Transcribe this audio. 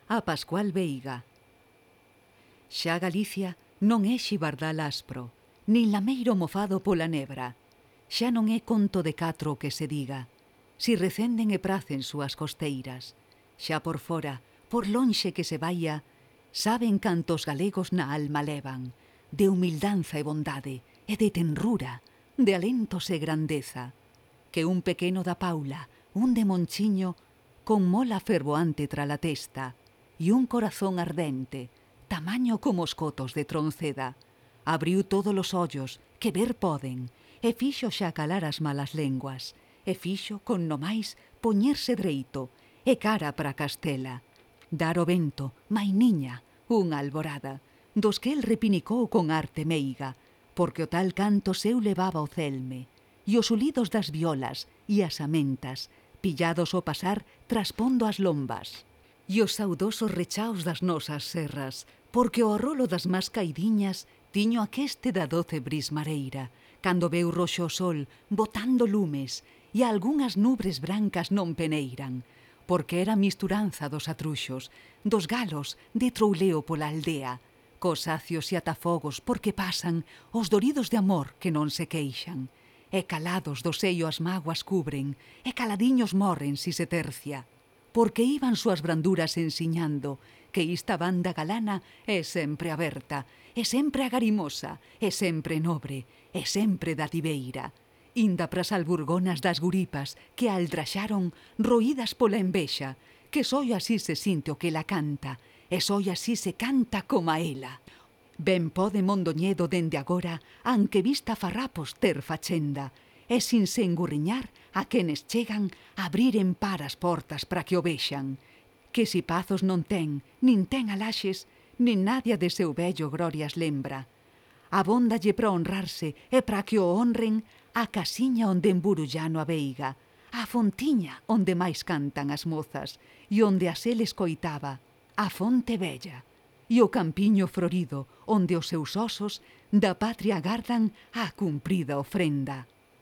a Pascual Veiga. Xa Galicia non é xibardal aspro, nin lameiro mofado pola nebra. Xa non é conto de catro o que se diga, si recenden e pracen súas costeiras. Xa por fora, por lonxe que se vaia, saben cantos galegos na alma levan, de humildanza e bondade, e de tenrura, de alentos e grandeza. Que un pequeno da Paula, un de Monchiño, con mola fervoante tra la testa, e un corazón ardente, tamaño como os cotos de Tronceda, abriu todos os ollos que ver poden, e fixo xa calar as malas lenguas, e fixo, con no máis, poñerse dreito, e cara para Castela, dar o vento, mainiña, unha alborada, dos que el repinicou con arte meiga, porque o tal canto seu levaba o celme, e os ulidos das violas e as amentas, pillados ao pasar traspondo as lombas, e os saudosos rechaos das nosas serras, porque o arrolo das más caidiñas tiño aqueste da 12 bris mareira, cando veu roxo o sol botando lumes, e algunhas nubres brancas non peneiran, porque era misturanza dos atruxos, dos galos de trouleo pola aldea, cos acios e atafogos porque pasan os doridos de amor que non se queixan, e calados do seio as mágoas cubren, e caladiños morren si se tercia, porque iban súas branduras ensiñando que esta banda galana é sempre aberta, é sempre agarimosa, é sempre nobre, é sempre dativeira, inda pras alburgonas das guripas que a aldraxaron roídas pola envexa, que soi así se sinte o que la canta, e soi así se canta como a ela. Ben pode Mondoñedo dende agora, anque vista farrapos ter fachenda, e sin se engurriñar a quenes chegan abrir en par as portas para que o vexan, que si pazos non ten, nin ten alaxes, nin nadia de seu vello glorias lembra. Abóndalle para honrarse e para que o honren a casiña onde emburullano a veiga, a fontiña onde máis cantan as mozas, e onde a sel escoitaba, a fonte bella, e o campiño florido onde os seus osos da patria gardan a cumprida ofrenda.